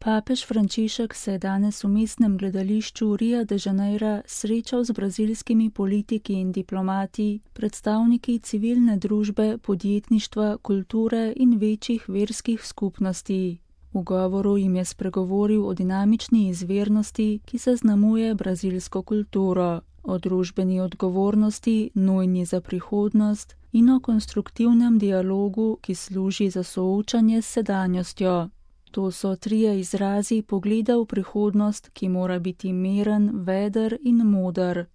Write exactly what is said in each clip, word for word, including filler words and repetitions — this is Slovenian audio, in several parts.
Papež Frančišek se je danes v mestnem gledališču Ria de Janeira srečal z brazilskimi politiki in diplomati, predstavniki civilne družbe, podjetništva, kulture in večjih verskih skupnosti. V govoru jim je spregovoril o dinamični izvirnosti, ki zaznamuje brazilsko kulturo, o družbeni odgovornosti, nujni za prihodnost in o konstruktivnem dialogu, ki služi za soočanje s sedanjostjo. To so trije izrazi pogleda v prihodnost, ki mora biti miren, veder in moder.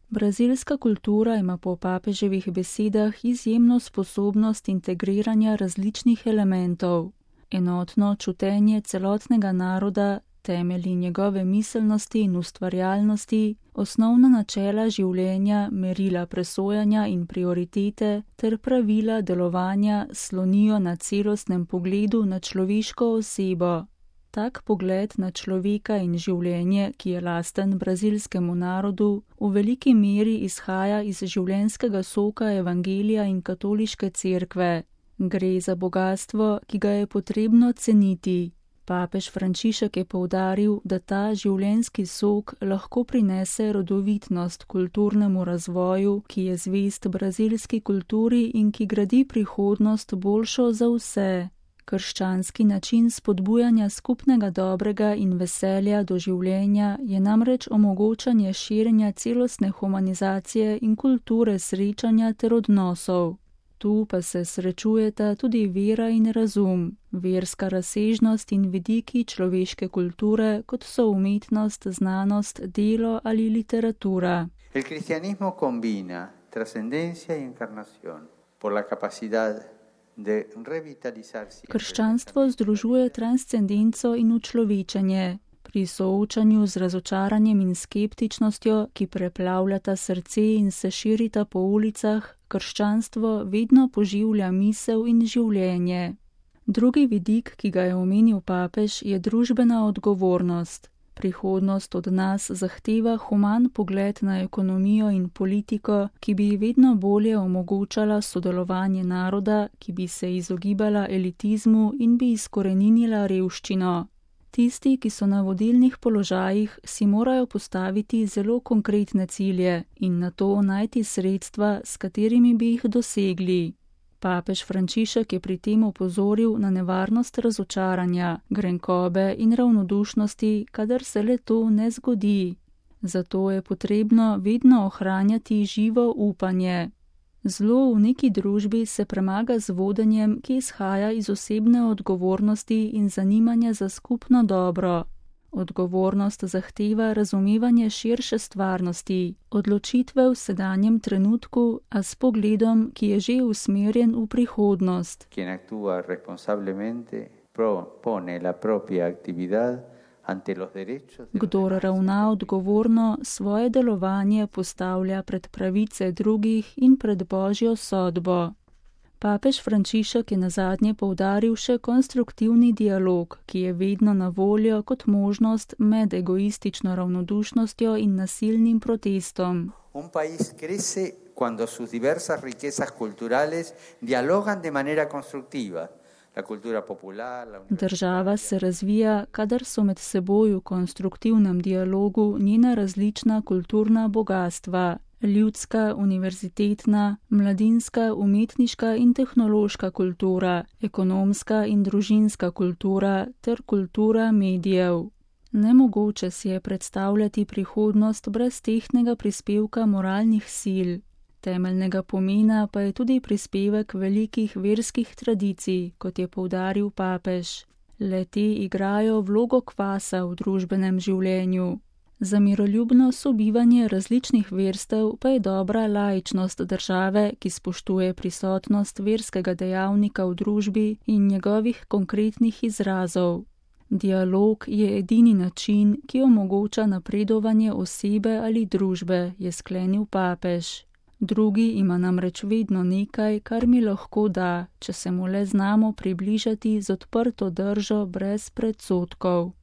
Brazilska kultura ima po papeževih besedah izjemno sposobnost integriranja različnih elementov. Enotno čutenje celotnega naroda, temelji njegove miselnosti in ustvarjalnosti, osnovna načela življenja, merila presojanja in prioritete ter pravila delovanja slonijo na celostnem pogledu na človeško osebo. Tak pogled na človeka in življenje, ki je lasten brazilskemu narodu, v veliki meri izhaja iz življenjskega soka evangelija in katoliške cerkve. Gre za bogastvo, ki ga je potrebno ceniti. Papež Frančišek je poudaril, da ta življenjski sok lahko prinese rodovitnost kulturnemu razvoju, ki je zvest brazilski kulturi in ki gradi prihodnost boljšo za vse. Krščanski način spodbujanja skupnega dobrega in veselja do življenja je namreč omogočanje širjenja celostne humanizacije in kulture srečanja ter odnosov. Tu pa se srečujeta tudi vera in razum, verska razsežnost in vidiki človeške kulture, kot so umetnost, znanost, delo ali literatura. El cristianismo combina trascendencia y encarnación por la capacidad de revitalizar. Krščanstvo združuje transcendenco in učlovečenje. Pri soočanju z razočaranjem in skeptičnostjo, ki preplavljata srce in se širita po ulicah, krščanstvo vedno poživlja misel in življenje. Drugi vidik, ki ga je omenil papež, je družbena odgovornost. Prihodnost od nas zahteva human pogled na ekonomijo in politiko, ki bi vedno bolje omogočala sodelovanje naroda, ki bi se izogibala elitizmu in bi izkoreninila revščino. Tisti, ki so na vodilnih položajih, si morajo postaviti zelo konkretne cilje in na to najti sredstva, s katerimi bi jih dosegli. Papež Frančišek je pri tem opozoril na nevarnost razočaranja, grenkobe in ravnodušnosti, kadar se le to ne zgodi. Zato je potrebno vedno ohranjati živo upanje. Zlo v neki družbi se premaga z vodenjem, ki izhaja iz osebne odgovornosti in zanimanja za skupno dobro. Odgovornost zahteva razumevanje širše stvarnosti, odločitve v sedanjem trenutku, a s pogledom, ki je že usmerjen v prihodnost. Quien actúa responsablemente propone la propia actividad. Kdor ravna odgovorno, svoje delovanje postavlja pred pravice drugih in pred Božjo sodbo. Papež Frančišek je nazadnje poudaril še konstruktivni dialog, ki je vedno na voljo kot možnost med egoistično ravnodušnostjo in nasilnim protestom. Un país crece cuando sus diversas riquezas culturales dialogan de manera constructiva. Država se razvija, kadar so med seboj v konstruktivnem dialogu njena različna kulturna bogastva, ljudska, univerzitetna, mladinska, umetniška in tehnološka kultura, ekonomska in družinska kultura ter kultura medijev. Nemogoče si je predstavljati prihodnost brez tehtnega prispevka moralnih sil. Temeljnega pomena pa je tudi prispevek velikih verskih tradicij, kot je poudaril papež. Le-te igrajo vlogo kvasa v družbenem življenju. Za miroljubno sobivanje različnih verstev pa je dobra laičnost države, ki spoštuje prisotnost verskega dejavnika v družbi in njegovih konkretnih izrazov. Dialog je edini način, ki omogoča napredovanje osebe ali družbe, je sklenil papež. Drugi ima namreč vedno nekaj, kar mi lahko da, če se mu le znamo približati z odprto držo brez predsodkov.